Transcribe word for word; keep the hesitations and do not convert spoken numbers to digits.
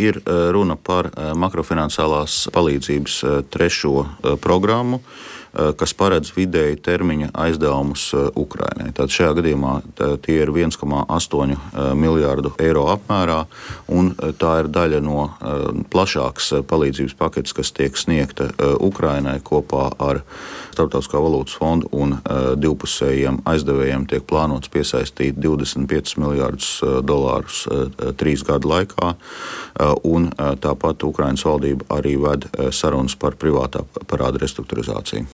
ir runa par makrofinansālās palīdzības trešo programmu, kas paredz vidēji termiņa aizdevumus Ukrainai. Tad šajā gadījumā tie ir viens komats astoņi miljārdu eiro apmērā, un tā ir daļa no plašākas palīdzības paketes, kas tiek sniegta Ukrainai kopā ar Starptautiskā valūtas fondu un divpusējiem aizdevējiem tiek plānots piesaistīt divdesmit piecus miljārdus dolārus trīs gadu laikā, un tāpat Ukrainas valdība arī ved sarunas par privātā parāda restruktūrizāciju.